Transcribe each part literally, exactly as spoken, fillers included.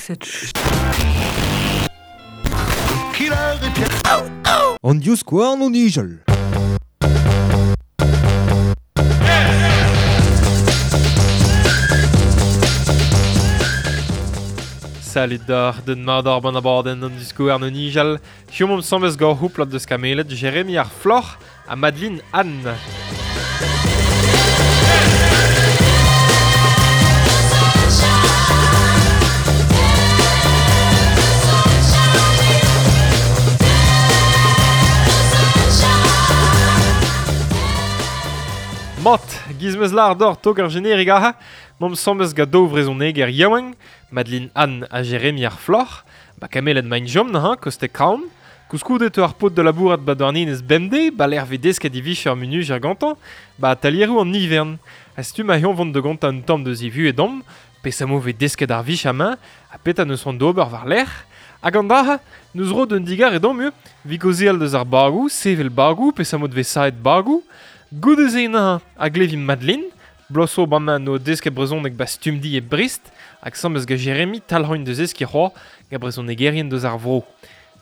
Cette An divskouarn o nijal. Salut d'ar den madar ban abadenn an divskouarn o nijal. Hiziv omp asambles gant houplad deus Kameled, Jérémy ar Floc'h ha Madeline Anne. Mat, giz meus lar d'or tok ar jenerig aha, m'am sambez gant daou vrezhoneger yaouank, Madeline Anne ha Jérémy ar Floc'h, ba Kameled maint jom neuze, koste Kraon, koulskoude teu ar paotr da labourat ba Douarnenez bemdez, ba lec'h vez desket e vicher munujer gantañ, ba atalieroù an ivern. Ha setu ma c'hoant vont da gontañ un tamm deus e vuhez d'omp, peseurt vez desket ar vicher amañ, ha petra neus c'hoant d'ober war-lerc'h. Hag an dra, neus ro d'un digarez d'omp eo, 'vit kaozeal deus ar bagoù, sevel bagoù, peseurt vez saet bagoù. Goude-se neuze a glevimp Madeline, bloaz zo bremañ no desket brezhoneg ba Stumdi e Brest, hag asambles gant Jérémy talc'hoint deus eski c'hoazh gant brezhonegerien deus ar vro.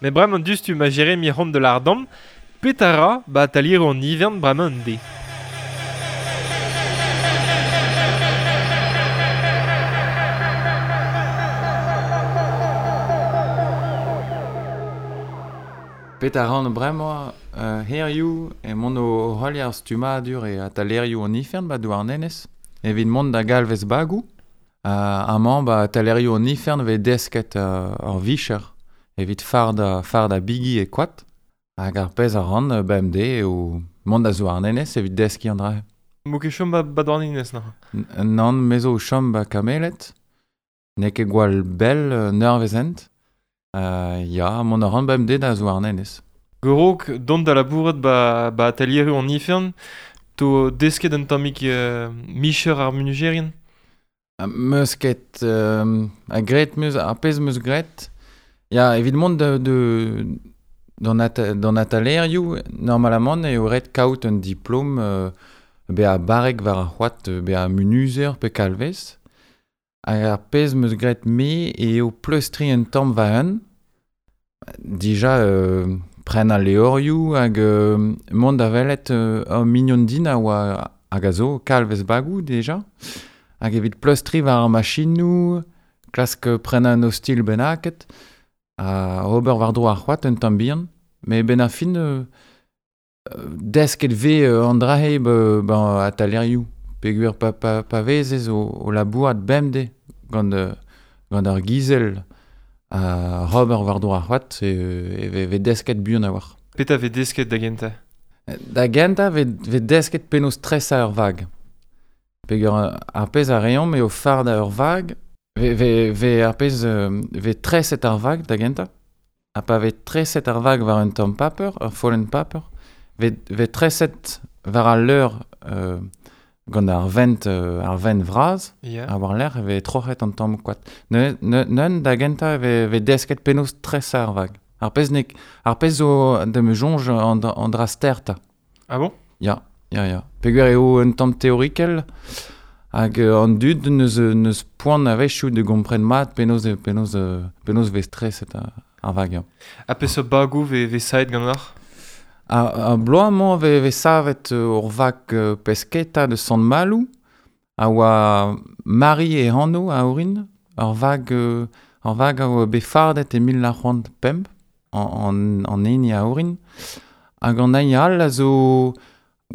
Met bremañ diouzhtu ma Jérémy c'hoant da lâret d'omp, petra ra ba atalieroù an ivern bremañ un deiz. Petra ran bremañ euh, hiziv e mont o heuliañ ar stummadur e atalerioù an ifern ba Douarnenez, evit mont da galvez bagoù. Uh, amañ ba atalerioù an ifern vez desket uh, ur vicher evit fardañ fardañ bigi e koad. Hag ar pezh a ran uh, bemdez eo mont da Zouarnenez evit deskiñ an dra. M'o ket chom ba, ba Douarnenez neuze? N- Nann, me zo o chom ba Kameled. N'eo ket gwall bell uh, un eurvezh hent. Uh, ya, mont a ran bemdez da Zouarnenez. Gorok, dont da labourat ba, ba atalieroù an ifern, to desket un tammig euh, micher ar munujerien? Uh, meus ket euh, a graet meus, ar pezh meus graet. Ya, evit mont de, de, d'an ata, d'an atalerioù, normalamant eo ret kaout un diplom euh, bezañ barrek war ar c'hoad, bezañ munuzer pe kalvez. Hag ar pezh meus graet me eo pleustriñ un tamm va-un. Dija euh, pren al levrioù hag euh, mont da welet euh, ur mignon din a oa hag a zo kalvez bagoù dija. Hag evit pleustriñ war ar machinoù, klask prenañ un ostilh bennaket, ha ober war-dro ar c'hoad un tamm bihan. Met benn ar fin euh, desket vez euh, an dra-se ba, ba atalerioù. Peogwir pa, pa, pa vezez o, o labourat bemdez gant, euh, gant ar gizel ha ober war-dro ar c'hoad, e, e vez desket buan a-walc'h. Petra vez desket da gentañ? Da gentañ vez, vez desket penaos tresañ ur vag. Peogwir ar pezh a reomp eo fardañ ur vag, vez, vez, vez ar pezh euh, vez treset ar vag da gentañ. Ha pa vez treset ar vag war un tamm paper, ur follenn paper, vez, vez treset war al leur euh, gant ar vent, euh, ar vent vras, Yeah. ha war-lerc'h e vez troc'het an tamm koad. Neuze, neuze da gentañ e vez, vez desket penaos tresañ ar vag. Ar pezh nek, ar pezh zo da me soñj an, an dra stertañ. Ah bon? Ya, ya, ya. Peogwir eo un tamm teorikel hag euh, an dud neus, neus poan a-wechoù da gompren mat penaos, penaos, penaos vez treset ar, ar vag. Ya. Ha peseurt bagoù vez, vez saet ganeoc'h? Ar, ar bloaz-mañ vez, vez savet ur vag euh, pesketa de Sant-Maloù, a oa Marie e anv a orin, ur vag, euh, ur vag a oa bet fardet e mil nav c'hant pemp, an, an, an hini a orin. Hag an hini all a zo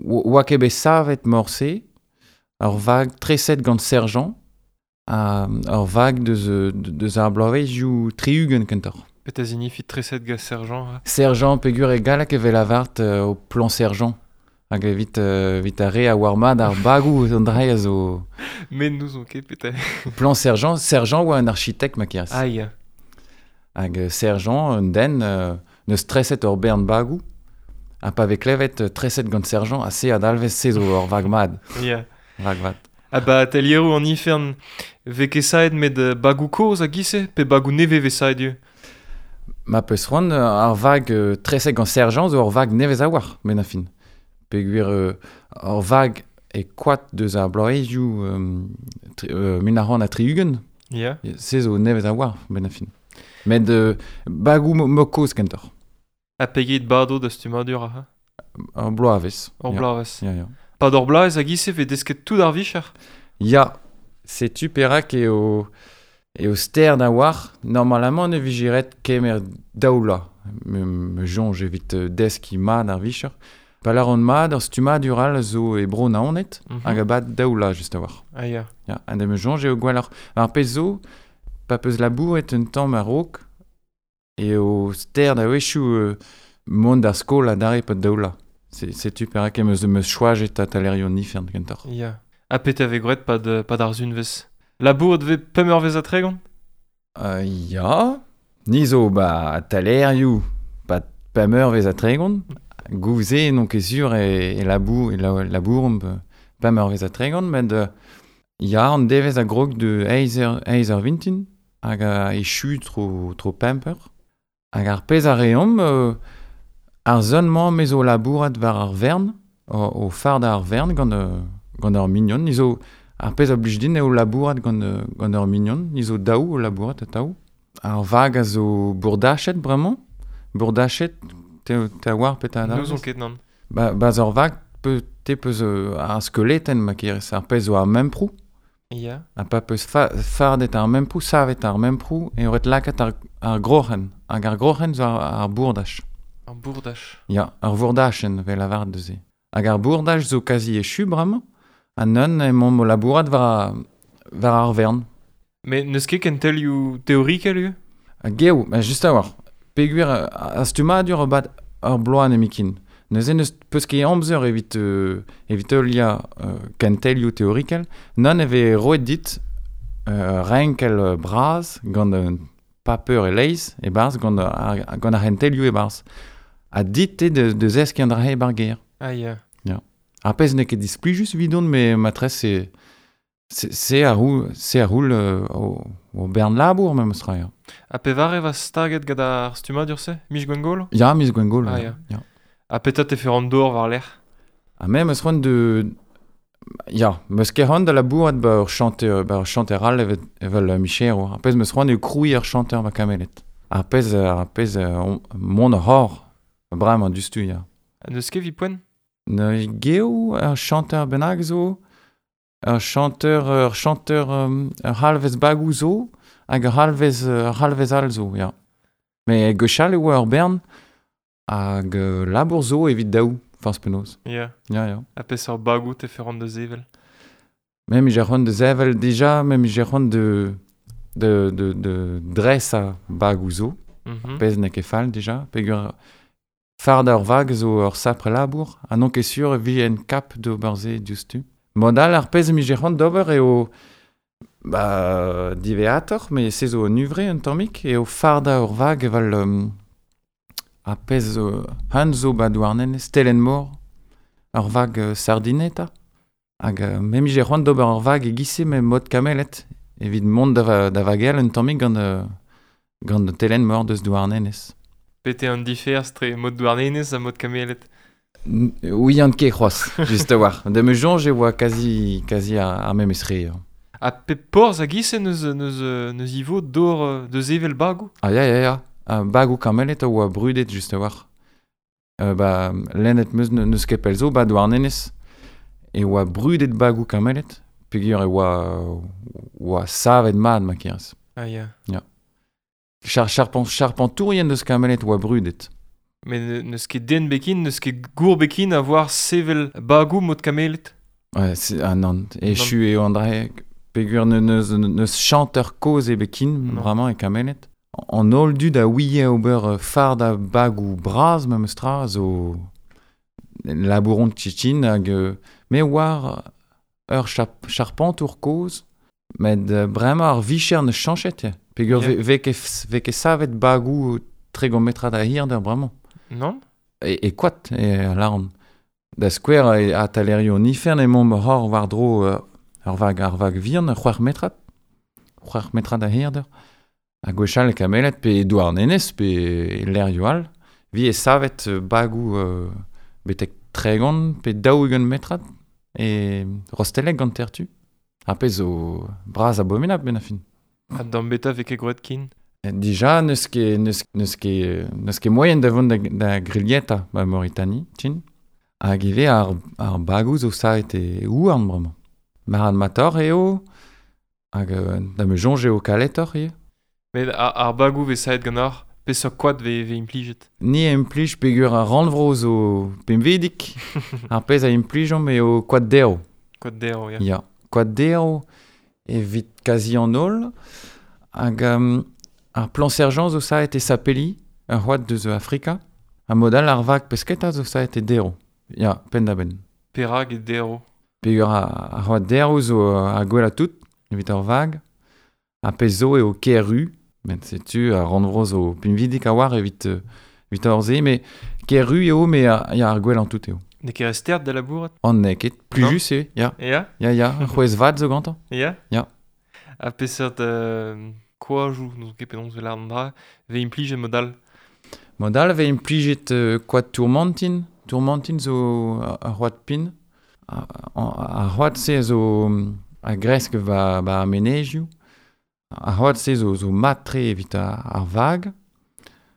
oa ket bet savet morse, ur vag treset gant Sergent, ha ur vag deus, deus ar bloavezhioù tri-ugent kentoc'h. Petra signifie treset gant Sergent? Hein? Sergent peogwir e galleg e vez lavaret euh, o plan Sergent. Hag evit, euh, evit ar re a oar mat ar bagoù an dra a zo... Met n'ouzon ket petra. Plan Sergent, Sergent oa un architekt ma kerez. Ah, ya. Hag Sergent, un den, euh, neus treset ur bern bagoù, ha pa vez klevet treset gant Sergent, ha se a dalvez se zo ur vag mat. Ya. Vag vat. Ha ba atelieroù an ifern, vez ket saet met bagoù kozh a giz-se, pe bagoù nevez vez saet ivez? Ma peus c'hoant, ar vag euh, treset gant Sergent zo ur vag nevez a-walc'h, benn ar fin. Peogwir euh, ur vag e koad deus ar bloavezhioù euh, tri, euh, mil nav c'hant ha tri-ugent. Ya. Se zo nevez a war, ben a fin. Met euh, bagou mo koz kentoc'h. Ha pegeit bado da stummadur aha? Ur bloavezh. Ur ya. bloavezh. Ya, ya. Pad ur bloavezh hag ise vez desket tout ar vicher? Ya, setu perak eo eo ster da war, normalement ne vijiret kemer daoula. Me, me soñj evit deskiñ mat ar vicher. Pa lâran mat, ur stummadur all zo e bro Naoned, mm -hmm. hag a bad daoula just a war. Ah ya. Ya, ha da me soñj eo gwelloc'h. Ar pezh zo, pa peus labouret un tamm a-raok, eo ster da wechoù euh, mont d'ar skol adarre pad daoula. Setu perak em eus meus choajet atalerio nifern kentoc'h. Ya. Ha pet ave gwret pad, pad ar zunvez? Labouret vez pemp eurvezh ha tregont? Euh, ya. Ni zo ba atalerioù pad pemp eurvezh ha tregont. Gouze n'on ket sur e, e labour, e la, labouromp pemp eurvezh ha tregont, met euh, ya an devezh a grog de eizh eur, eizh eur vintin hag a echu tro, tro pemp eur. Hag ar pezh a reomp, euh, ar zon-mañ me zo labourat war ar vern, o, o fard ar vern gant, euh, gant ur mignon. Ni zo, ar pezh a blij din eo labourat gant, gant ur mignon, ni zo daou o labourat atav. Ar vag a zo bourdachet bremañ, bourdachet, te, te a war pet a N'ouzon ket nann. Ba, baz ur vag, pe, te peus euh, ar skeletenn ma kerez, ar pezh zo ar memprou. Ya. Ha pa peus fa, fardet ar memprou, savet ar memprou, e oret lakaat ar, ar groc'hen. Hag ar groc'hen zo ar, ar bourdach. Ar bourdach. Ya, ar vourdachen, vel lavaret deus-se. Hag ar bourdach zo kazi echu bremañ, ha neun emaomp o labourat war, war ar vern. Mais n'eus ket kentelioù teorikel eo? Ha geo, ma just a war. Peogwir ar stummadur bat ur bloaz nemetken. Neuze n'eus peus ket amzer evit, euh, evit heuliañ euh, kentelioù teorikel. Nann e vez roet dit euh, renkel bras gant un paper e-leizh e-barzh gant ar, gant ar c'hentelioù e-barzh. Ha dit eo de, de zeskiñ an dra-se e-barzh gêr. Ah ya. Ya. Ar pezh n'eo ket displijus evidon, met matresse c'est c'est c'est ar roul, c'est ar roul euh, o, o bern labour memes tra, ya. Ha pevare va staget gant ar stummadur-se? Miz Gwengolo? Ya, miz Gwengolo. Ah, ya. ya. Ya. Ha petra te fer an dor war lec'h? Ha me meus c'hoant de... Ya, meus ket c'hoant da labourat ba ur chanter, ba ur chanter all evet, evel uh, micherour. Ar pezh meus c'hoant eo krouiñ ur chanter ba Kameled. Ar pezh, ar pezh uh, mont ar hor, bremañ diouzhtu, ya. Ha n'eus ket evit poent? Ne geo ur chanter bennak zo, ur chanter, ur chanter, um, ur c'halvez bagou zo, hag ur c'halvez, ur c'halvez all zo, ya. Mais gwechall e oa ur bern, hag euh, labour zo evit daou, forzh penaos. Ya. Ya, ya. Ha peseurt bagou te fer an da sevel? Mem j'ai c'hoant da sevel dija, mem j'ai c'hoant de, de, de, de dresañ bagou zo, Mm -hmm. pezh n'eo ket fall dija, peogwir fard ar vag zo ur sapre labour, ha n'on ket sur e vi en kap d'ober se diouzhtu. Mod all ar pezh mi c'hoant d'ober eo ba, diveatoc'h, met se zo un uvre un tammig, eo fardañ ur vag evel um, ar pezh zo han zo ba Douarnenez, Stelenn-Mor, ur vag uh, sardineta. Hag uh, me mi c'hoant d'ober ur vag e-giz-se met mod Kameled, evit mont da, va, da vagel un tammig gant, uh, gant Telenn-Mor deus Douarnenez. Pete an diferz tre mod Douarnenez ha mod Kameled? Ouian ket c'hoazh, just a war. Da me soñj e oa kazi, kazi ar, ar memes re. Ha pep porzh hag ise neus, neus, neus ivo d'or deus evel bagou? Ah ya, ya, ya. Ha bagou Kameled a oa brudet just a war. Euh, ba, lennet meus neus ket pell zo, ba Douarnenez. E oa brudet bagou Kameled, peogwir e oa, oa savet mat ma kerez. Ah ya. Ya. Char, charpent, charpentourien deus Kameled oa brudet. Mais n'eus ket den bekin, n'eus ket gour bekin a voir sevel bagou mod Kameled? Ouais, c'est, ah non, echu eo an dra-se, peogwir neus, neus chanteur kozh e bekin, vraiment, e Kameled. An holl dud a ouie ober fard a bagou bras memes tra zo labouron tchitchin hag me war ur chap, charpentour kozh, met bremañ ar vicher ne chañchet ya. Peogwir yeah. ve, ve, ve ket savet bagou tregont metrad a hirder bremañ. Non? E, e koad e lâran. Da skouer e atalerio nifern emaomp hor war-dro ur vag, ar vag vihan, c'hwec'h metrad. C'hwec'h metrad a hirder. Ha gwechall e Kameled pe Douarnenez pe lec'hioù all. Vi e savet bagou euh, betek tregont pe daou-ugent metrad e Rostelleg gant tertu. Ar pezh zo bras abominabl ben a fin. Ha d'an beta vez ket groet kin? Dija, n'eus ket, n'eus, n'eus ket, n'eus ket moyen da vont da, da grilieta ba Mauritanie, tchin. Hag ivez ar, ar bagou zo savet e ouarn bremañ. Marad mator eo, hag da me soñj eo kaletoc'h ivez. Met ar, ar bagou vez savet ganeoc'h, peseurt koad vez, vez implijet? Ni a implij peogwir ar rannvro zo pemvedik. Ar pezh a implijomp eo koad derv. Koad derv, ya. Ya, koad derv evit kazi an holl. Hag um, ar plan sergent zo savet e Sapeli, ur c'hoad deus Afrika. Ha mod all ar vag pesketa zo savet e derv. Ya, penn-da-benn. Perak e derv? Peogwir ar, ar c'hoad derv zo ar gwellañ tout, evit ar vag. Ar pezh zo eo K R U, met setu ar rannvro zo pinvidik a-walc'h evit, evit ar se, met K R U eo, met ya, ar gwellañ tout eo. N'eo ket re stert da labourat? An n'eo ket, plijus eo, ya. Ya? Ya, ya, c'hwezh vat zo gantañ. Ya? Ya. Ha peseurt euh, koajoù, n'ouzon ket penaos e lâret an dra, vez implijet mod all? Mod all vez implijet euh, koad tourmentin. Tourmentin zo ar c'hoad pin. Ar, ar c'hoad-se zo a gresk va, ba ar menezioù. Ar c'hoad-se zo, zo mat-tre evit ar, ar vag.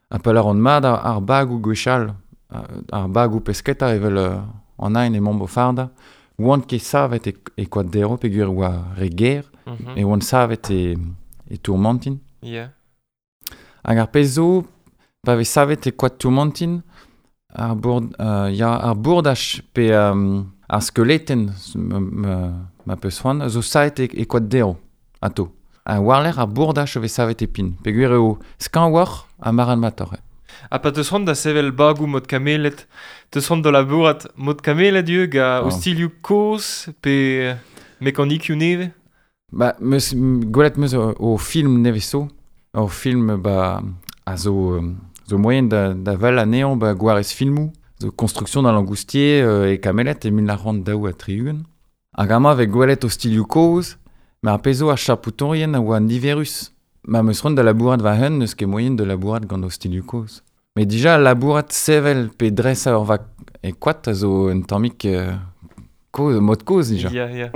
Ha pa lâran mat ar, ar bagoù gwechall, ar bagoù pesketa evel an ein emaomp o fardañ, oant ket savet e, e koad derv peogwir oa re ger, mm -hmm. e oant savet e, e tourmentin. Yeah. Hag ar pezh zo, pa vez savet e koad tourmentin, ar bourd, euh, ya, ar bourdaj pe um, ar skeletenn, ma, ma, ma peus c'hoant, zo savet e, e koad derv, ato. Ha war-lerc'h ar bourdaj a vez savet e pin, peogwir eo skañvoc'h ha marc'hadmatoc'h. Ha pa teus c'hoant da sevel bagoù mod kameled, teus c'hoant da labourat mod kameled ivez gant Ah. ostilhoù kozh pe mekanikioù nevez? Ba, meus, gwelet meus o, o film nevez zo, ur film ba, a zo, zo moyen da, da wel anezhañ ba gwarez filmoù, zo Construction d'un langoustier euh, e Kameled e mil nav c'hant daou ha tri-ugent. Hag amañ vez gwelet ostilhoù kozh, met ar pezh zo ar chapoutourien a oa niverus. Ma meus c'hoant da labourat war-eeun, n'eus ket moyen da labourat gant ostilhoù kozh. Met dija labourat sevel pe dresañ ur vag e koad a zo un tammig euh, kozh, mod kozh dija. Ya, ya.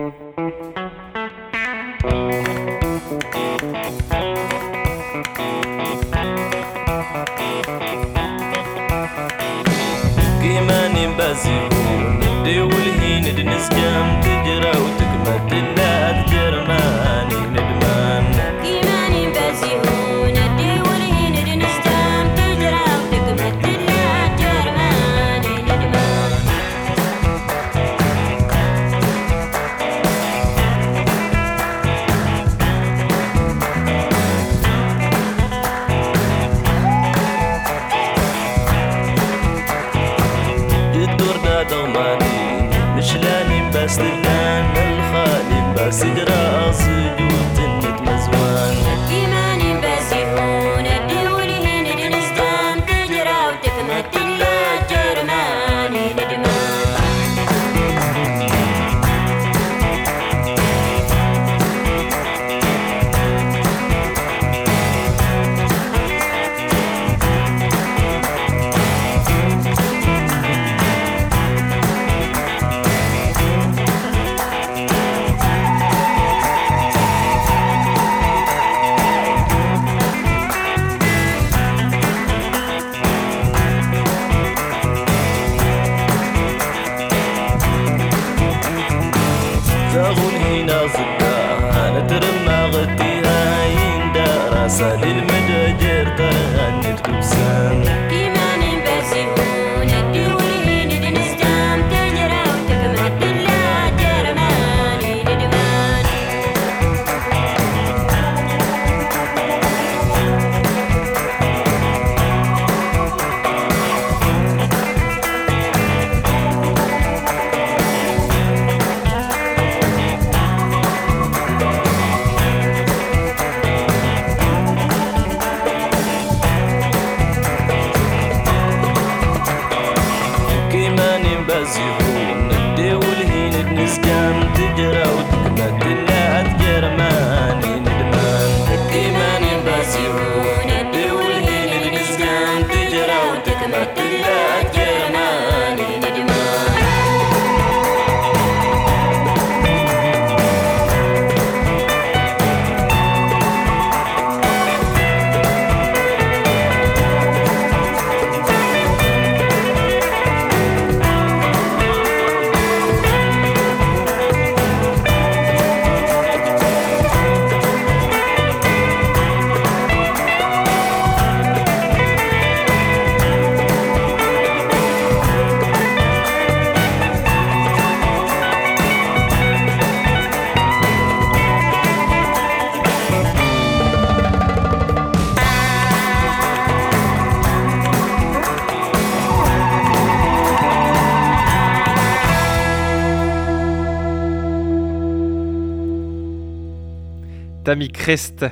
Tammy Crest,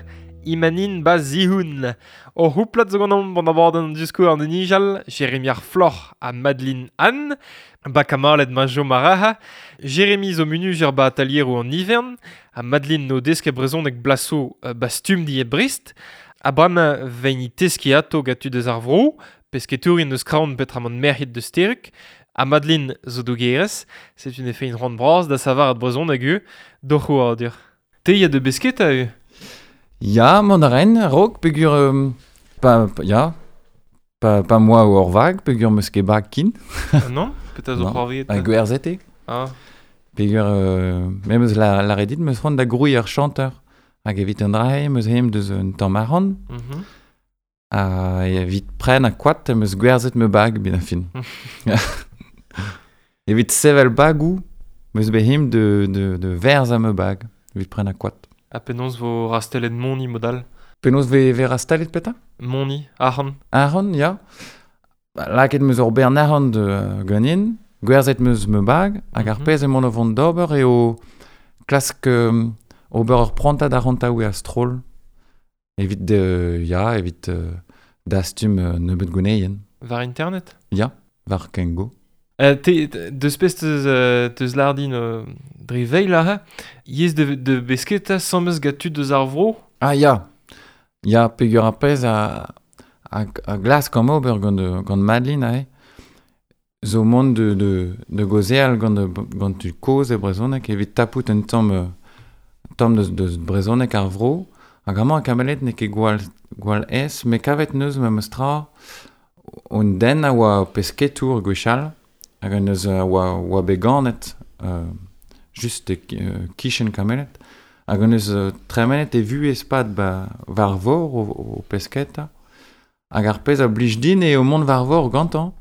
Imanin ba zihun. O houplat zo gant an abadenn an diskour an nijal, Jérémy ar Floc'h ha Madeline Anne, ba kamalet ma jo maraha, Jérémy zo munujer ba atalier an ivern, ha Madeline no deske brezhoneg blaso ba stumdi e Brest, ha bremañ veini teski ato gatu deus ar vro, pesketourin eus kraon petramant merc'hed deus teruk, ha Madeline zo dougerez, c'est une effet une rand bras da savar ad brezhoneg eu, doc'h oadur. Te ya de besketa eu? Ya, mont a ren, raok, peogwir... Euh, pa, pa, ya, pa, pa moa ur vag, peogwir meus ket bag kin. Ah non? Petra zo c'hoarvezet? Ha gwerzhet eo. Ah. Peogwir, euh, me meus la, la redit, meus c'hoant da grouiñ ur chanteur. Hag evit an dra meus heem deus un tamm arc'hant. Mm-hmm. Ha evit pren a koad, meus gwerzhet me bag, ben a fin. Evit sevel bagou, meus bet heem de, de, de verz a me bag, evit pren a koad. Ha penaos vo rastelet moni modal? Penaos ve, ve rastelet peta? Moni, arc'hant. Arc'hant, ya. Ba, lakaet meus ur bern arc'hant uh, ganin, gwerzhet meus me bag, hag ar mm-hmm. pezh emaon o vont d'ober eo klask um, ober ur prantad arc'hantaouiñ a-stroll. Evit, uh, ya, evit uh, dastum uh, nebeut gouneien. War internet? Ya, war Kengo. Euh, te, deus pez teus, euh, teus lardin euh, dre veil aze, yez de, de besketa samez gant tud deus ar vro? Ah ya, ya peogwir ar pezh a, a, a glask am ober gant, gant Madeline aze, zo mont de, de, de gaozeal gant, gant tud kozh e brezhoneg evit tapout un tamm, tamm deus, deus brezhoneg ar vro, hag amañ kamelet n'eo ket gwall, gwall aes, met kavet neus memes tra un den a oa pesketour gwechall, hag an eus uh, oa, oa bet ganet uh, just e uh, kichen kamelet, hag an eus uh, tremenet e vuhez pad ba war vor o, o pesketa, hag ar pezh a blij din eo mont war vor gantañ,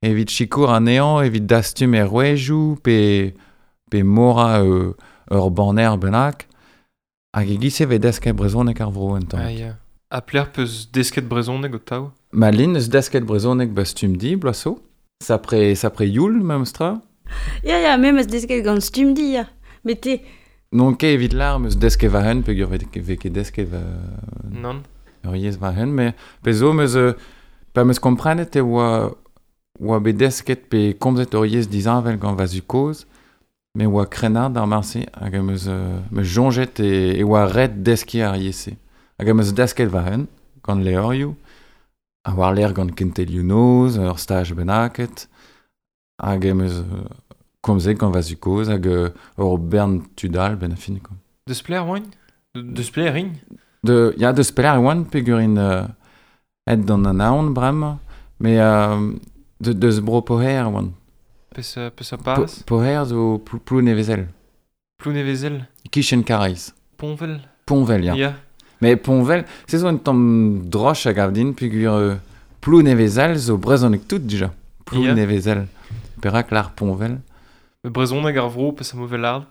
evit sikour anezhañ, evit dastum er rouejoù, pe, pe mora uh, ur banner bennak, hag e giz-se vez desket brezhoneg ar vro en tamm. Ah, ya. Ha plec'h peus desket brezhoneg o taou? Madeline eus desket brezhoneg ba Stumdi, bloaz zo. Sapre, sapre youl, memes tra? Ya, ya, me meus desket gant Stumdi, ya. Met te... Non ket evit lar, meus desket va-hun, peogwir ve ket desket va... Non. Ur yezh va-hun, met pezh zo meus... Pa meus komprenet e oa, oa bet desket pe komzet ur yezh disheñvel gant va zu-kozh, me oa krennard ar marse, hag meus, meus soñjet e, e oa ret deskiñ ar yezh-se. Hag meus desket va-hun, gant levrioù, a war l'air gant kentelioù noz, ur staj bennaket, hag em eus komzet gant va zu-kozh, hag ur bern tud all ben a fin. Quoi. Deus plec'h oaint? Deus plec'h int? De, ya, deus plec'h oant, peogwir int uh, aet d'an anaon bremañ, met uh, de, deus bro Poher oant. Peus, peus a parez? Po, Poher zo plou, Plounevezel. Plounevezel? Kichen Karaez. Ponvel? Ponvel, ya. Ya. Mais Ponvel, se zo un tamm droch a gav din, peogwir euh, Plounevezel zo brezhoneg tout dija. Plounevezel. Perak lar Ponvel? Brezhoneg ar vro, peus a mauvais lard?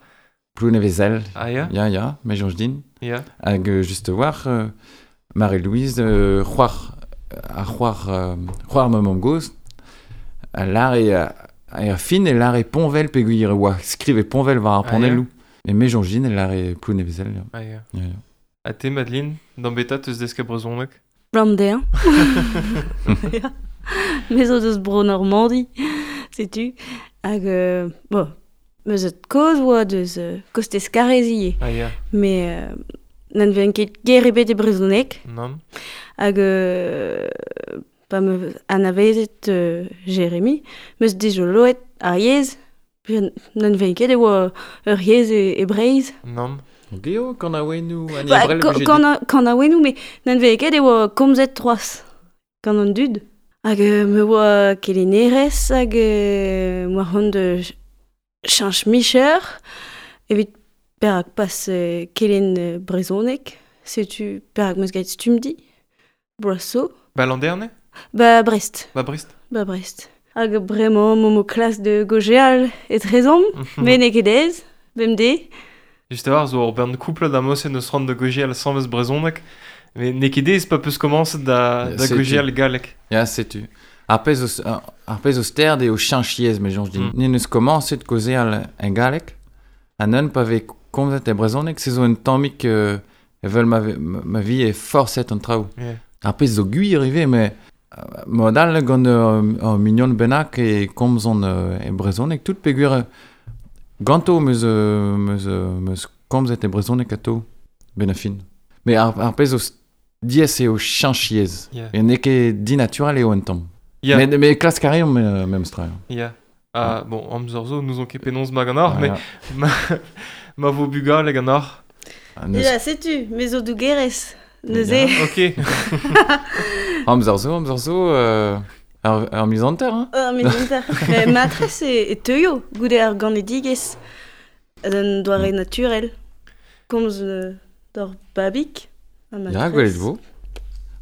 Plounevezel. Ah ya? Ya, ya, me soñj din. Ya. Hag euh, just war, euh, Marie-Louise, euh, c'hoar, ar c'hoar, euh, c'hoar ma mamm-gozh, a lar e, a, a fin e lar e Ponvel, peogwir oa skrive Ponvel war ar panelloù. Ah, ya. Me soñj din e lar e Plounevezel. Ya. Ah ya. Ya, ya. Ha te, Madeline, d'an beta teus desket brezhoneg? Blam dezhañ. Ya. Me zo deus bro Normandi, setu. Hag, euh, bon, meus et kozh oa deus euh, kostez Karez ivez. Ah ya. Mais euh, n'en ven ket ger ebet e brezhoneg. Non. Hag, euh, pa me anavezet euh, Jérémy, meus dijoloet ar yezh, n'en ven ket e oa ur yezh e, e Breizh. Non. Geo, kanaouennoù, an Ba, ebrel ko- kana- kanaouennoù, met n'en vez ket e oa komzet troaz gant an dud. Hag euh, me oa kelennerez, hag euh, moa c'hoant de cheñch micher, evit perak pas euh, kelen euh, brezhoneg, setu perak meus graet Stumdi, bloaz zo. Ba Landerne? Ba Brest. Ba Brest. Ba Brest. Hag bremañ momp o klas de gojeal etrezomp, met n'eo ket aes, bemdez. Just a war zo ur bern couple da mosen eus ran de gojeal samez brezhoneg, met n'eo ket aes pa peus komañset da, da gojeal galleg. Ya, setu. Ar pezh o, ar pezh o sterd eo cheñch yezh, me soñj din. Mm. N'en eus komañset kaozeal en galleg, ha neun pa vez komzet e brezhoneg, se zo un tammig euh, Evel ma, ma vi e forset an traoù. Yeah. Ar pezh zo gwir ivez, met mod all gant ur, ur mignon bennak e komzon e brezhoneg tout peogwir ganto meus, meus, meus komzet e brezhoneg atao, ben a fin. Mais ar, ar pezh zo diaes eo cheñch yezh. Yeah. E n'eo ket dinaturel eo un tamm. Yeah. Mais, mais klask a reomp memes tra. Yeah. Ah, bon, amzer zo, n'ouzon ket penaos ma ganeoc'h, Ah, mais ma, ma vo bugale ganeoc'h. Ah, neus... Ya, setu, me zo dougerez, neuze. Ya. Ok. Amzer zo, amzer zo, euh, ar, ar miz hanter, hein. Ar miz hanter. Mais matrez e, e teuio, goude ar ganedigezh, d'un doare naturel. Komz euh, d'ur babig. Ya, gwelet vo.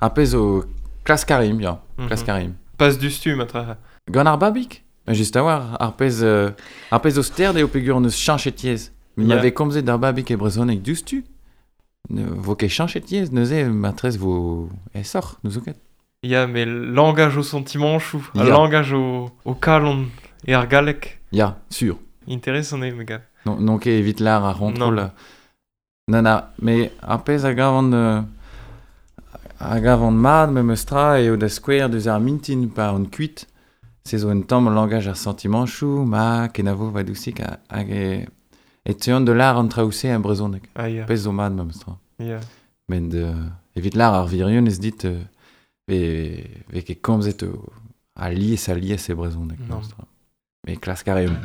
Ar pezh zo klask a rimp, ya. Mm-hmm. Klask a rimp. Pas du stu, matre. Gant ar babig? Just a war, ar pezh, euh, ar pezh zo sterd eo peogwir on eus cheñchet yezh. Mais Yeah. yeah. m'avait komzet d'ar babig e brezhoneg diouzhtu. Ne vo ket cheñchet yezh, neuze matrez vo aesoc'h, n'ouzon ket. Ya, mais langage au sentiment chou, Ya. langage au, au kalon e ar galleg. Ya, sûr. Intéressant eo, me gav. Non, non ket evit lar ar c'hontrol. Non, na, mais ar pezh a gavan euh, a gavan mat memes tra eo da skouer deus ar mintin pa on kuit. Se zo un tamm langage ar sentiment chou, ma kenavo va dousik hag e, e teuan de lar an traoù-se a brezhoneg. Ah, ya. Pezh zo mat memes tra. Ya. Met euh, evit lar ar virion ez dit euh, ve, ve ket komzet euh, a lies a lies e brezhoneg. Non. Memes tra. Mais klask a reomp.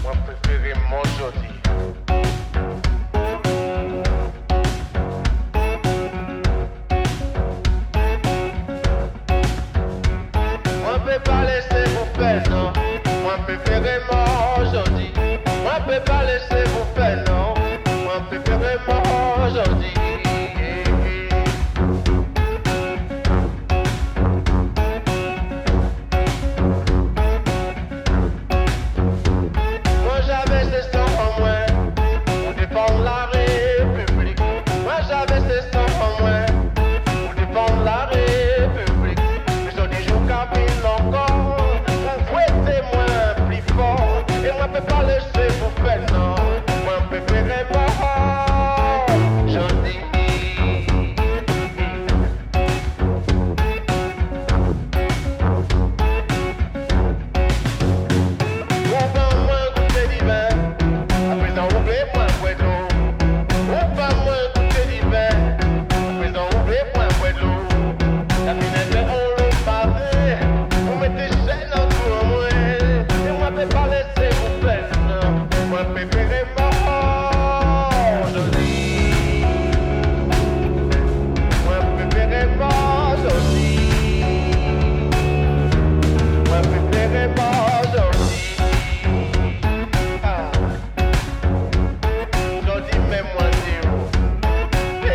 Moi préféré mon jodi. Moi peut pas laisser vous faire non. Moi préféré mon jodi. Moi peut pas laisser vous faire non. Moi préféré mon jodi. Moi j'avais ce sang en moi pour défendre la République. Moi j'avais ce sang en moi pour défendre la République. Mais j'en ai joué cabine encore pour fouetter moins plus fort. Et moi peux pas laisser vous faire non. Moi préféré mort. Je dis. On va moins goûter d'hiver, à présent oubliez moins boire de l'eau. On va moins goûter d'hiver, à présent oubliez moins boire de l'eau. La finesse on l'a pavé, vous mettez chaîne en tout en moi. Et moi peux pas laisser vous faire, non. Moi préféré mort, je dis. Moi préféré mort, je dis. Moi préféré mort, je dis. Ah. Jodi même moi dis oh. Eh.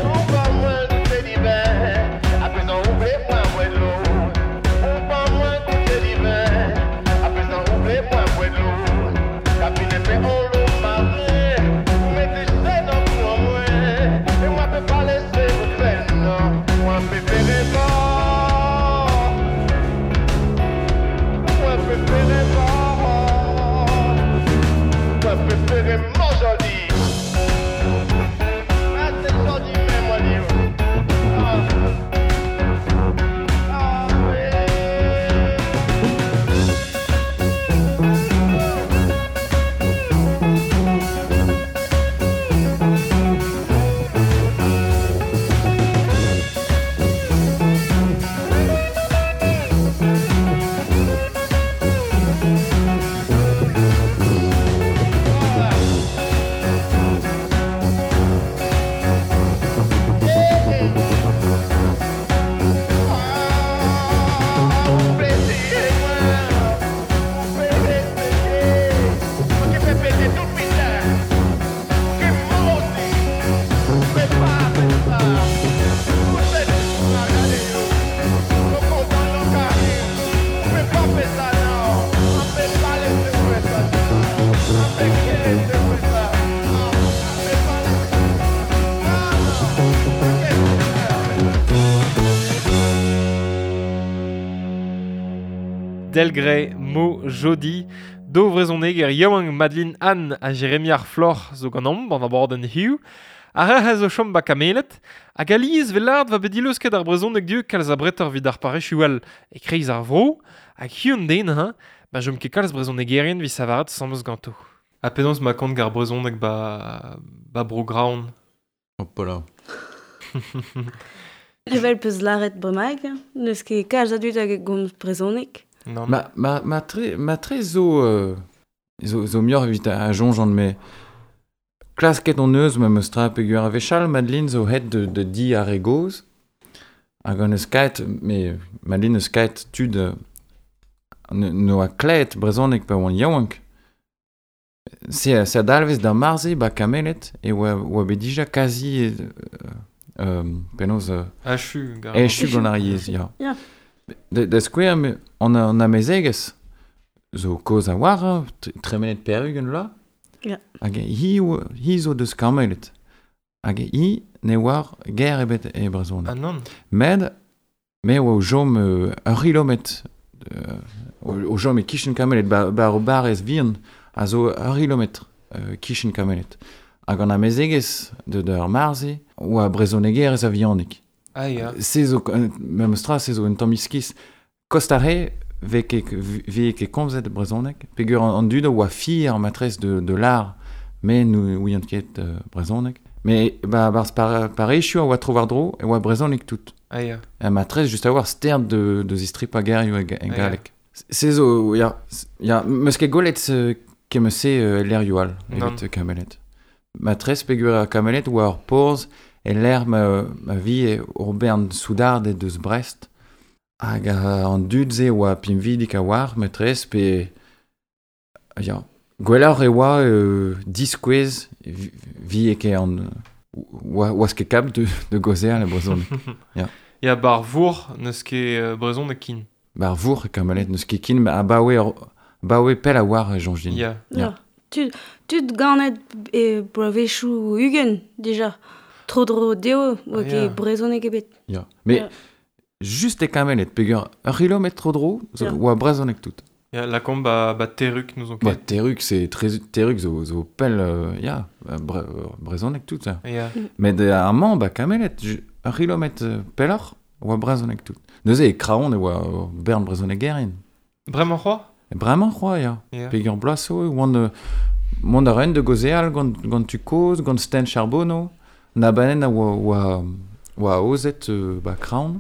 On va moins goûter d'hiver, à présent oubliez moins boire de l'eau. On va moins goûter d'hiver, à présent oubliez moins boire de l'eau. Cabine fait on l'eau marée, mettez chaîne en tout en moi. Et moi peux pas laisser vous faire, non. Moi préféré mort. Moi préféré mort. Moi préféré mort joli. Ah, c'est joli, mais moi, dis. Ah. Ah. Delgré Mo Jodi. Do vrezhoneg er yaouank Madeline Anne ha Jérémy ar Floc'h zo ganeomp an abadenn hiziv. Ar re zo chom ba Kameled, hag alies vel lard va bet dileusket ar brezhoneg dieu kalz a bretor vid ar parrezioù all e kreiz ar vro, hag hiziv an den, hein, ba jom ket kalz brezhonegerien vi savaret samez ganto. Ha penaos ma kont gar brezhoneg ba, ba bro Graon. Hopala. Evel peus laret bremaik, n'eus ket kalz a dud hag gomz brezhoneg. Non. Ma, ma, ma tre, ma tre zo, euh, zo, zo muioc'h evit a soñjan me klasket on eus ma meus tra peogwir a wechall Madeline zo het de, de di ar re gozh hag an eus kaet, me Madeline eus kaet tud euh, no a kleet brezhoneg pa oan yaouank. Se, se a dalvez d'ar marze ba Kameled e oa, oa bet dija kazi euh, euh, penaos euh, Achu, gar. echu gant ar yezh, ya. Ya. Da, da skouer, me, an, an amezegez zo kozh a war, hein, tremenet pear-ugent vloaz. Ya. Hag hi, hi zo deus Kameled. Hag hi ne oar ger ebet e brezhoneg. Ah non. Med, me oa o chom euh, ur c'hilometr, euh, o, o chom e kichen Kameled, ba, ba ur barrez vihan, a zo ur c'hilometr euh, kichen Kameled. Hag an amezegez de d'ur marze, oa brezhonegerez a vihanik. Ah ya. Se zo, memes tra, se zo un tamm iskis. Kost a re, ve ket, ve ket komzet brezhoneg, peogwir an, an dud a oa fier ar matrez de, de l'ar, me nou ouiant ket euh, brezhoneg. Me ba barz par, parrezioù a oa tro war-dro, e oa brezhoneg tout. Ah ya. Ha matrez just a oar stern de, de zistripa gerioù e, e Ah, ya. galleg. Se zo, ya, ya, meus ket gwelet euh, ket meus se euh, lerioù all, Non. evit euh, Kameled. Matrez peogwir ar Kameled oa ur porzh e lec'h ma, ma vi e ur bern soudard e deus Brest. Hag a, an dud-se oa pinvidik a oar, matrez, pe... Ya, gwelloc'h e oa euh, diskouez vi, vi e ket an... Oa, oaz ket kap de, de gozer le brezhoneg. Ya bar vour n'eus ket euh, brezhoneg kin. Bar vour e Kameled n'eus ket kin, ma abaoe, ur- abaoe pell a oar e soñj din. Ya. Ya. Ya. Tud, tud ganet e bloavezhioù ugent, dija. Tro dro dezho, oa Ah, ket ya. brezhoneg ebet. Ya. Mais Ya. just e Kameled, peogwir ur c'hilometr tro dro, zo Ya. oa brezhoneg tout. Ya, la komp ba, ba terruk nous on Ba, ket. Terruk, c'est très Terruk zo, zo pell, euh, ya, bre, brezhoneg tout, ça. Ya. Met euh, ar mañ, ba Kameled, ju- ur c'hilometr euh, pelloc'h, oa brezhoneg tout. Neuze e Kraon e oa ur bern brezhonegerien. Bremañ c'hoazh? E bremañ c'hoazh, ya. Ya. Peogwir bloaz zo, e oant, euh, mont a raent de gaozeal gant, gant tu kozh, gant Sten Charbonneau, na banen a oa, oa, oa aozet euh, ba Kraon,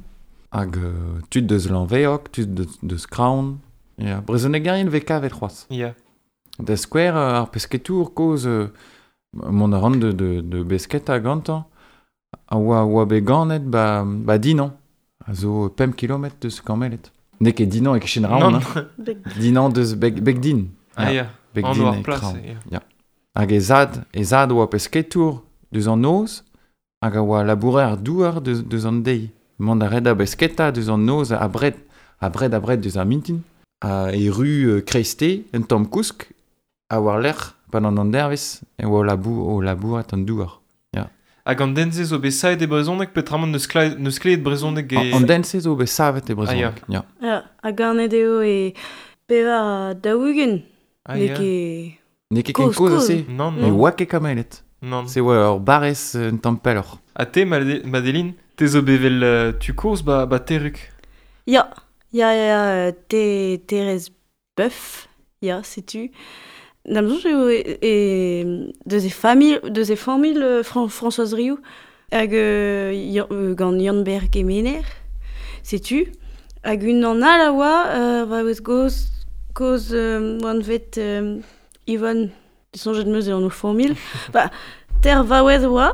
hag euh, tud deus Lanveoc, tud deus, deus Kraon. Ya, brezhonegerien vez kavet c'hoazh. Ya. Da skouer euh, ar pesketour kozh euh, mont a ran de, de, de besketa gantañ, a oa, oa bet ganet ba, ba Dinan, a zo pemp kilometr deus Kameled. N'eo ket Dinan e kichen Raon, Non. hein. Beg- Dinan deus beg, Begdin. Ah ya. Begdin An oar e plas. Kraon. Ya. Hag e zad, e zad oa pesketour deus an noz, hag a oa labourer ar douar deus, deus an deiz. Mont a red a besketa deus an noz a bred, a bred a bred deus ar mintin. A e ru euh, kreiste, un tamm kousk, a war lec'h, pan an dervez, e oa o labour, o labourat an douar. Hag an den-se zo bet saet e brezhoneg peotramant n'eus kla- n'eus kleet brezhoneg e... An, an den-se zo bet savet e brezhoneg. Ah, ya. Ya, ha ganet eo e pevar ha daou-ugent. Ah, N'eo ya. ket... N'eo ket ken Kozh, kozh kozh. ase. Non, Ne non. oa ket Kameled. Non. Se oa ur barrez euh, un tamm pelloc'h. Ha te, Made- Madeline, te zo bet vel euh, tu kozh ba, ba terruk. Ya, ya, ya, ya, te, Thérèse Boeuf, ya, setu. Da'm soñj eo e, e, deus e familh, deus e familh euh, Fran Françoise Riou, hag euh, ya, euh, gant Yann-Ber Kemener, setu. Hag unan all a oa, euh, va eus goz, koz euh, oan vet euh, Yvonne, soñjet meus eo an o familh. Ba, ter vaouez oa,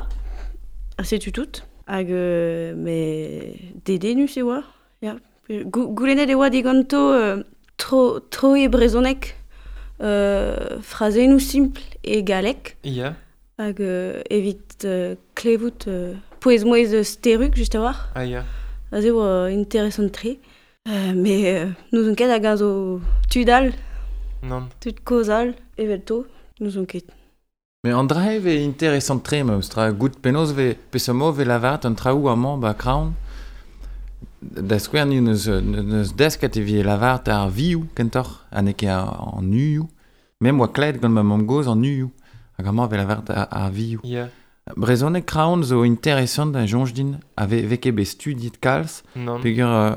ha setu tout. Hag euh, me dedenus e oa, ya. Gou- Goulennet e oa diganto euh, tro, tro e brezhoneg, euh, frazennoù simpl e galleg, Ya. hag euh, evit euh, klevout euh, pouez-mouez eus terruk, just a war. Ah ya. Aze oa interesant tre. Euh, mais euh, n'ouzon ket hag a zo tud all, Non. tud kozh all, evelto, n'ouzon ket. Mais an dra ve interesant tre meus tra gout penaos ve peseurt mod ve lavaret an traoù amañ ba Kraon. Da skouer ni neus, neus desket evit lavart ar vioù kentoc'h, ha n'eo ket an uioù. Mem oa klevet gant ma mamm-gozh an uioù. Hag amañ vez lavart ar, ar vioù. Yeah. Brezhoneg Kraon zo interesant a soñj din, a ve, ve ket bet studiet kalz. Non. Peogwir euh,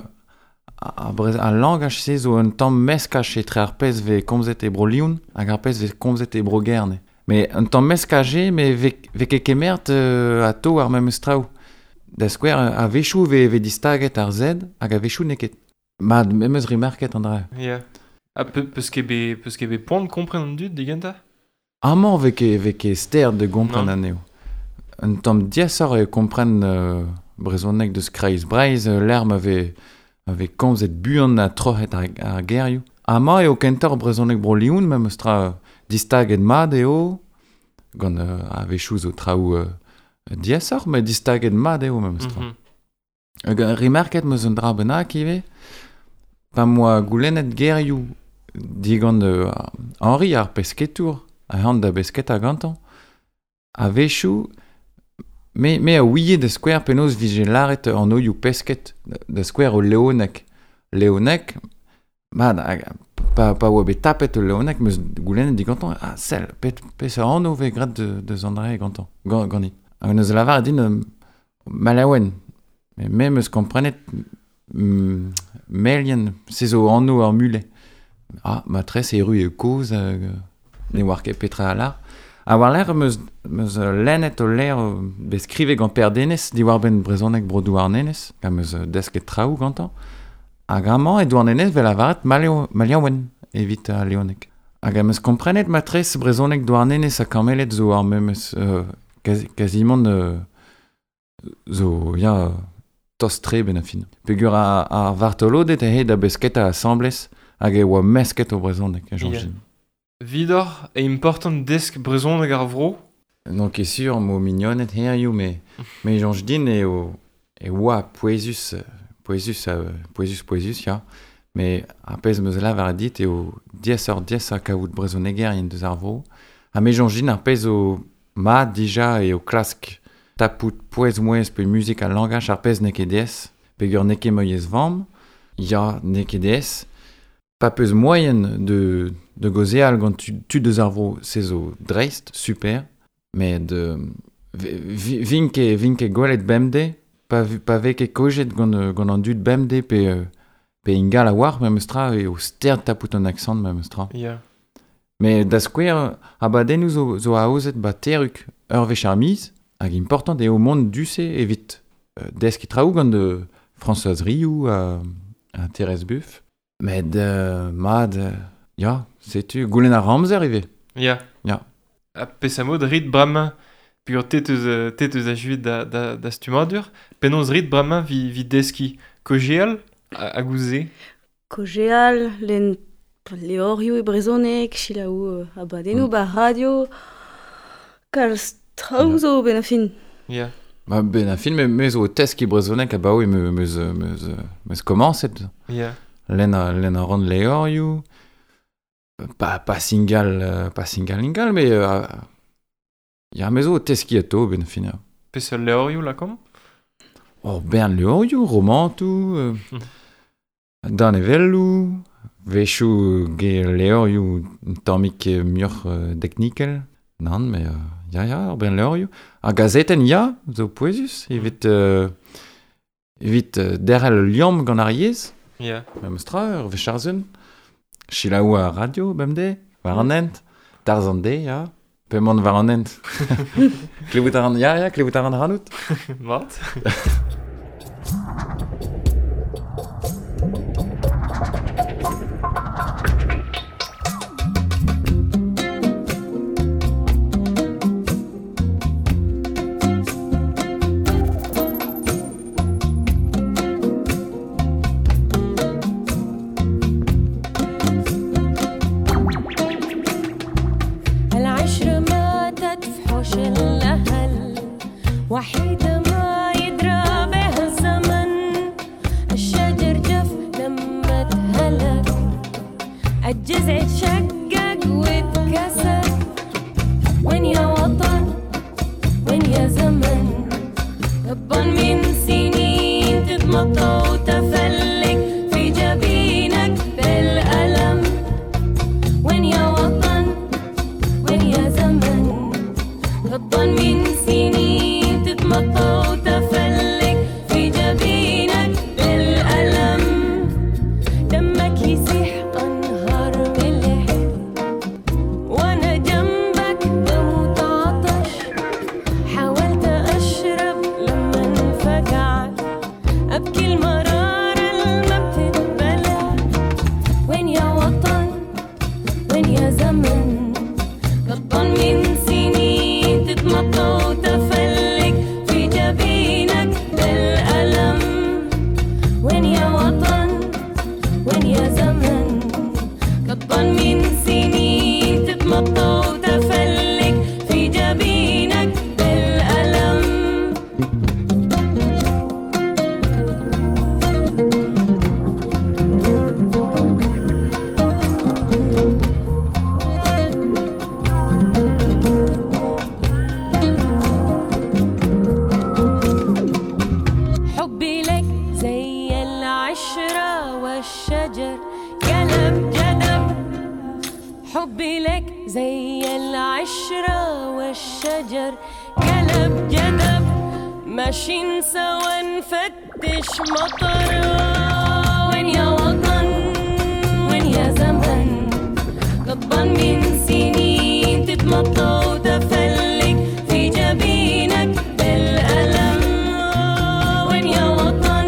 ar, brez, ar langaj-se zo un tamm meskaj etre ar pezh vez komzet e Bro-Leon hag ar pezh vez komzet e Bro-Gerne. Mais un tamm meskaj eo, mais ve, ve ket kemert euh, atao ar memes traoù. Da skouer, a-wechoù vez, vez distaget ar Z hag a-wechoù n'eo ket. Mat, me 'meus remarket an dra. Yeah. Ha pe, peus ket bet, peus ket bet poan kompren an dud digentañ? Amañ vez ket, vez ket ster de gompren Non. anezho. Un tamm diaesoc'h eo kompren euh, brezhoneg deus Kreiz Breizh, euh, lec'h ma vez, ma vez komzet buan ha troc'het ar, ar gerioù. Amañ eo kentoc'h brezhoneg Bro-Leon memes tra distaget mat eo, gant euh, a-wechoù zo traoù euh, diaesoc'h, met distaget mat eo memes tra. Mm -hmm. Hag remarket 'm eus un dra bennak ivez, pa 'm boa goulennet gerioù digant euh, Henri ar pesketour, a da besketa gantañ, a-wechoù, me, me a ouie da skouer penaos vije lâret an oioù pesket, da skouer o Leoneg. Leoneg, mat, hag, pa, pa oa bet tapet o Leoneg, 'm eus goulennet digantañ, ah, sell, pet, peseurt anv vez graet de, deus an dra gantañ, gant, ganit. Hag neus lavaret din euh, Malaouen. Mais me 'm eus komprenet mm, Melien, se zo anv ar mulet. Ah, matres erru eo kozh, euh, ne oar ket petra a lar. Ha war-lerc'h 'm eus, 'm eus lennet o levr bet skrivet gant Per Denez, diwar-benn brezhoneg bro Douarnenez, hag 'm eus desket traoù gantañ. Hag amañ e Douarnenez 'vel lavaret Maleo, Maliaouen evit ar Leoneg. Hag am eus komprenet matres brezhoneg Douarnenez ha Kameled zo ar memes euh, quasi, quasiment euh, zo ya tost-tre ben a fin. Peogwir ar, ar vartoloded eo da besketa asambles hag e oa mesket o brezhoneg, a soñj Yeah. din. Vidor e important desk brezhoneg ar vro? Non ket sur mo mignoned hiziv, mais mais soñj din eo e oa pouezus, pouezus, pouezus, pouezus, ya. Mais ar pezh 'm eus lavaret dit eo diaesoc'h diaesañ kaout brezhonegerien deus ar vro. Ha me soñj din ar pezh zo mat dija eo klask tapout pouez-mouezh pe muzik ha langaj ar pezh n'eo ket diaes, peogwir n'eo ket ma yezh vamm, ya, n'eo ket diaes. Pa peus moaien de, de gaozeal gant tud, tud deus ar vro, se zo dreist, super, met euh, vi, vin ket, vin ket gwelet bemdez, pa, pa vez ket kojet gant, gant an dud bemdez pe, pe ingal a-walc'h memes tra eo stert tapout an aksant memes tra. Yeah. Mais da skouer, abadennoù zo, zo aozet ba Terrug ur wech ar miz, hag important eo mont du-se evit euh, deskiñ traoù gant de Françoise Riou ha, ha Thérèse Buff. Met euh, mat, euh, ya, setu, goulenn ar amzer ivez. Ya. Ya. Ha peseurt mod rit bremañ, peogwir te teus, te teus achuet da, da, da stummadur, penaos rit bremañ vi, vi deskiñ kaozeal hag ouzh se? Kaozeal, lenn levrioù e brezhoneg, selaou abadennoù Mm. ba radio, kalz traoù Ya. zo ben a fin. Ya. Ba, ben a fin, me, me zo o teskiñ brezhoneg abaoe me, meus, meus, meus komañset. Ya. Lenn a, lenn a ran levrioù, pa, pa singal, euh, pa singal ingal, mais euh, ya, me zo o teskiñ atao ben a fin. Ya. Peseurt levrioù lakaomp? Oh, bern levrioù, romantoù, euh, Mm. danevelloù, wechoù ge levrioù un tammig muioc'h euh, teknikel. Nann, mais euh, ya, ya, ur bern levrioù. Ar gazetenn, ya, zo pouezus, evit, euh, evit euh, derc'hel ul liamm gant ar yezh. Ya. Memes tra, ur wech ar sun. Selaou ar radio, bemdez, war an hent. Tarzh an deiz, ya. Pe mont war an hent. Klevout a ran, ya, ya, klevout a ran ranout. Mat. العشرة ماتت في حوش الأهل وحيدة ما يدرى بها الزمن الشجر جف لما اتهلك الجذع اتشقق واتكسر وين يا وطن وين يا زمن تبا من سنين تتمطى وتفنى غضبان من سنين تتمطى وتفلك في جبينك بالألم. حبي لك زي العشرة والشجر قلب جدب، حبي لك زي العشرة والشجر قلب جدب، ماشيين سوا نفتش مطر. وين يا وطن وين يا زمن، غضبان من سنين تتمطى وتفلك في جبينك بالألم. وين يا وطن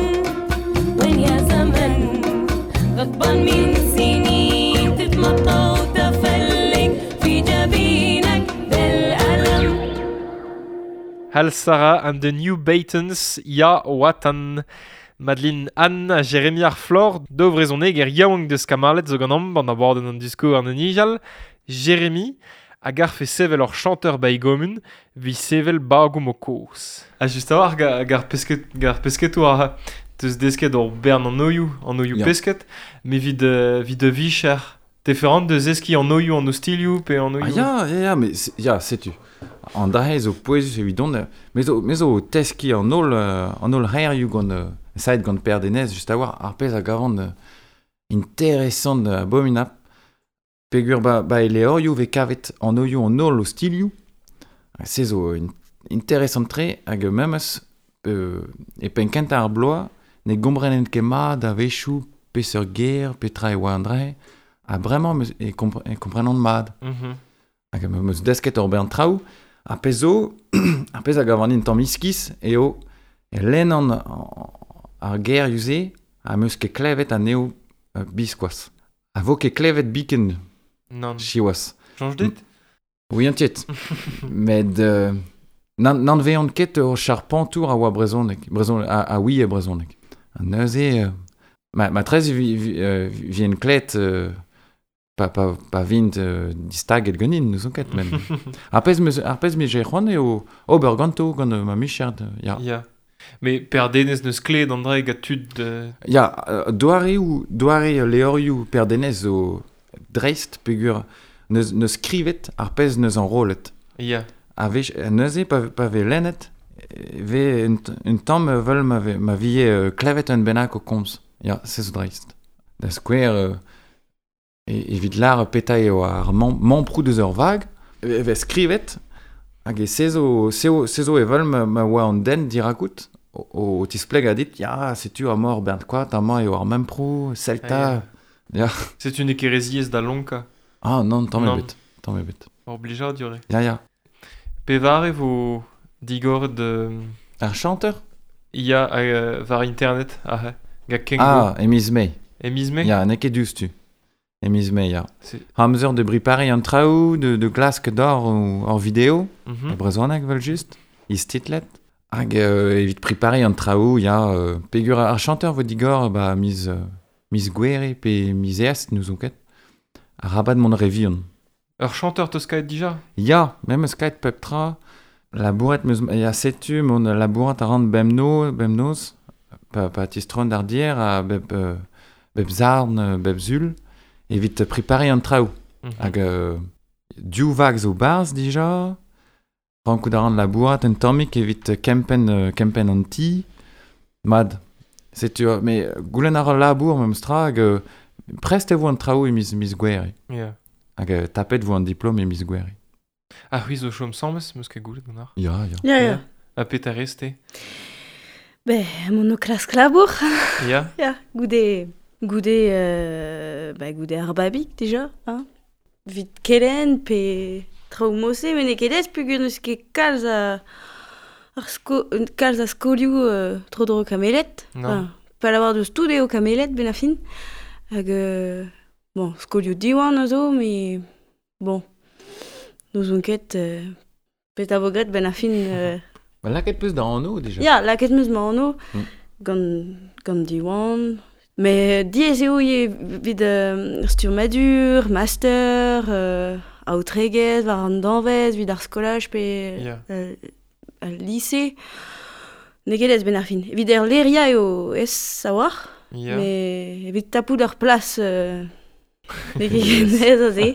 وين يا زمن، غضبان من سنين تتمطى وتفلك في جبينك بالألم. Hal Sarah and the New Baytons, Ya Watan. Madeline Anne ha Jérémy ar Flor, do vrezhoneg er yaouank deus kamalet zo gant an an abadenn an disko an nijal. Jérémy a garfe sevel ur chanteur ba e gomun, vi sevel bagoum o koz. Ha just a war ga, gar pesket, gar pesketoù ar teus desket ur bern an oioù, an oioù Ya. pesket, mais vid, euh, vid de vicher. Te ferant deus eski an oioù an ostilioù pe an Ah oioù... ya, ya, ya, mais c'est- ya, setu. An dahe zo pouezus evidon, euh, me zo, me zo teski an holl, euh, an holl c'herioù gant, euh, saet gant Per Denez, just a war, ar pezh a gavan euh, interesant euh, abominap. Pegur ba, ba e leorioù ve kavet an oioù an holl ostilioù. Ha se zo in, interesant tre hag memes euh, e penn kentañ ar bloaz ne gomprenen ket mat a-wechoù peseurt ger, petra e oa an dra-se. Ha bremañ meus- e, kompre, e komprenan mat. Mhm. Hag em eus desket ur bern traoù, ar pezh zo, ar pezh a gavan din tamm iskis, eo e lennan ar gerioù-se ha em eus ket klevet anezho euh, biskoazh. A vo ket klevet biken Nann. siwazh. Change dit? Oui, entiet. Met euh, nan, nan veont ket ur charpentour a oa brezhoneg, brezhon, a, a oui e brezhoneg. Ha neuze, euh, ma, ma trez vi, vi, euh, vien klet euh, pa, pa, pa vint euh, distaget ganin, n'ouzon ket men. Ar pezh meus, ar pezh me c'hoant eo ober ganto gant euh, ma micher, ya. Ya. Mais Per Denez neus kleet an dra gant tud... Euh... Ya, euh, doareoù, doare leorioù Per Denez zo dreist peogwir neus, neus skrivet ar pezh neus enrollet. Ya. A vech, neuze pa, pa vez lennet, e vez un, un tamm vel ma, ve, ma vie euh, klevet un bennak o komz. Ya, se zo dreist. Da skouer, euh, e, evit lar peta eo ar man, mamprou deus ur vag, e vez skrivet, hag e se zo, se zo, se zo evel ma, ma oa an den dirakout, o, o, o tispleg a dit, ya, setu ar mor bern koat, amañ eo ar memprou, selta. Ah, Setu n'eo ket re ziaes da lonkañ. Ah non, tamm Non. ebet, tamm ebet. Ur blijadur eo. Ya, ya. Pevare vo digoret de... Ar chanteur? Ya, euh, war internet, ah, gant Kengo. Ah, e miz Mae. E miz Mae? Ya, n'eo ket diouzhtu. E miz Mae, ya. C'est- Amzer de bripari an traoù, de, de glask d'or ou ur vidéo, Mhm. e brezhoneg vel just, istitlet. Hag euh, evit pripari an traoù, ya, euh, peogwir ar chanteur vo digor, ba, miz, euh, miz Gouere pe miz East, n'ouzon ket. Arabat mont re vihan. Ur chanteur teus kaet dija? Ya, me meus kaet pep tra, labouret meus, ya setu mon labourat a ran bemno, bemnoz, pa, pa tistron d'ar dier a bep, euh, bep zarn, euh, bep zul, evit pripari an traoù. Mhm. Hag euh, div vag zo barz dija, rankout a ran labourat un tammig evit kempenn, euh, kempenn an ti, mad. Setu, euh, mais goulenn a ran labour memes tra, hag euh, prest e vo an traoù e miz, miz Gouere. Ya. Hag euh, tapet vo an diplom e miz Gouere. Ah, c'hwi zo chom sammes, meus ket goulet gant ar. Ya, ya. Ya, ya. Ha petra rez-te? Be, mon o klask labour. Ya? Ya, goude, goude, euh, ba, goude ar babig, dija, hein. Vit kelen pe traoù mose, met n'eo ket aes peogwir n'eus ket kalz a, ar sko, kalz a skolioù euh, tro-dro kamelet. Non. Enfin, pa lavar deus tout eo kamelet ben a fin. Hag, euh, bon, skolioù diwan a zo, mais bon, n'ouzon ket euh, pet a vo graet ben a fin... Euh, Ba, lakaet peus da anv dija. Ya, lakaet meus ma anv Mm. gant, gant Diwan, Mais diez eo eo vid euh, sturmadur, master, euh, aotregez, war an danvez, vid ar skolaj pe Ya. euh, al lycée. N'eo ket ez ben ar fin. Evit er leria eo ez a-walc'h, Ya. mais evit tapout ur plas euh, n'eo ket ez aze.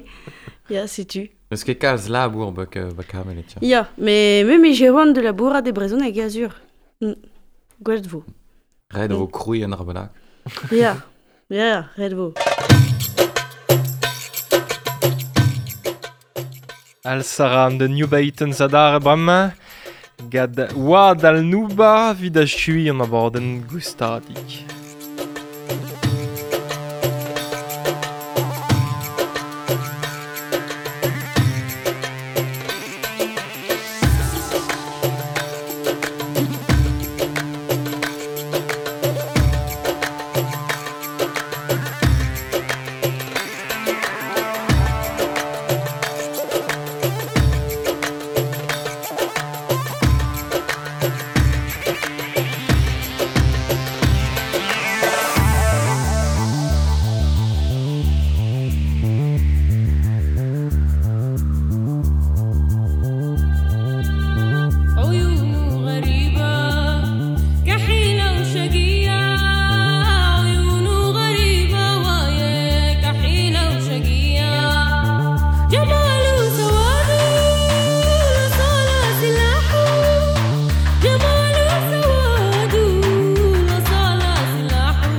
Ya, setu. Eus ket kalz labour bak, euh, bak Kameled, ya. Ya, mais me me c'hoant de labourat e brezhoneg azur. Mm. Gwellt vo. Ret vo krouiñ an ar bennak. Ya, ya, ret vo. Al Sara an de New Baiten zadar bremañ, gad oad al nouba vid a chui an abadenn goustadik. عيونه غريبة كحيلة وشقية عيونه غريبة ويا كحيلة وشقية جماله سواده لصالة سلاحه جماله سواده لصالة سلاحه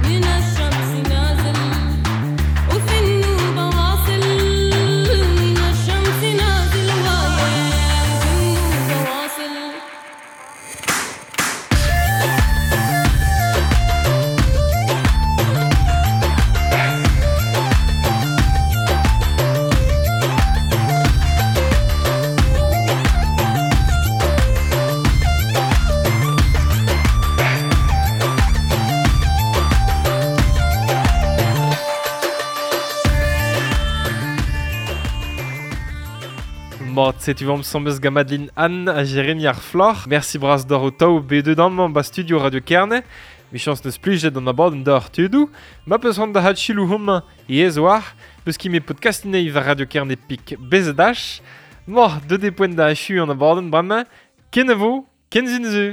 من الشمس نازل وفي النوبة واصل من الشمس نازل ويا وفي النوبة واصل Mat, setu vam sambez gant Madeline Anne a Jérémy ar Floc'h. Merci bras d'or o taou B deux d'amañ ba studio Radio Kerne. Michans neus plijet an abadenn d'or tudou. Ma peus c'hoant da hat chilou homañ e ez oar, peus ki me podcastinei war Radio Kerne pik bezedach. Mor, deux des points da achu an abadenn bremañ. Ken a vo, ken zin zu.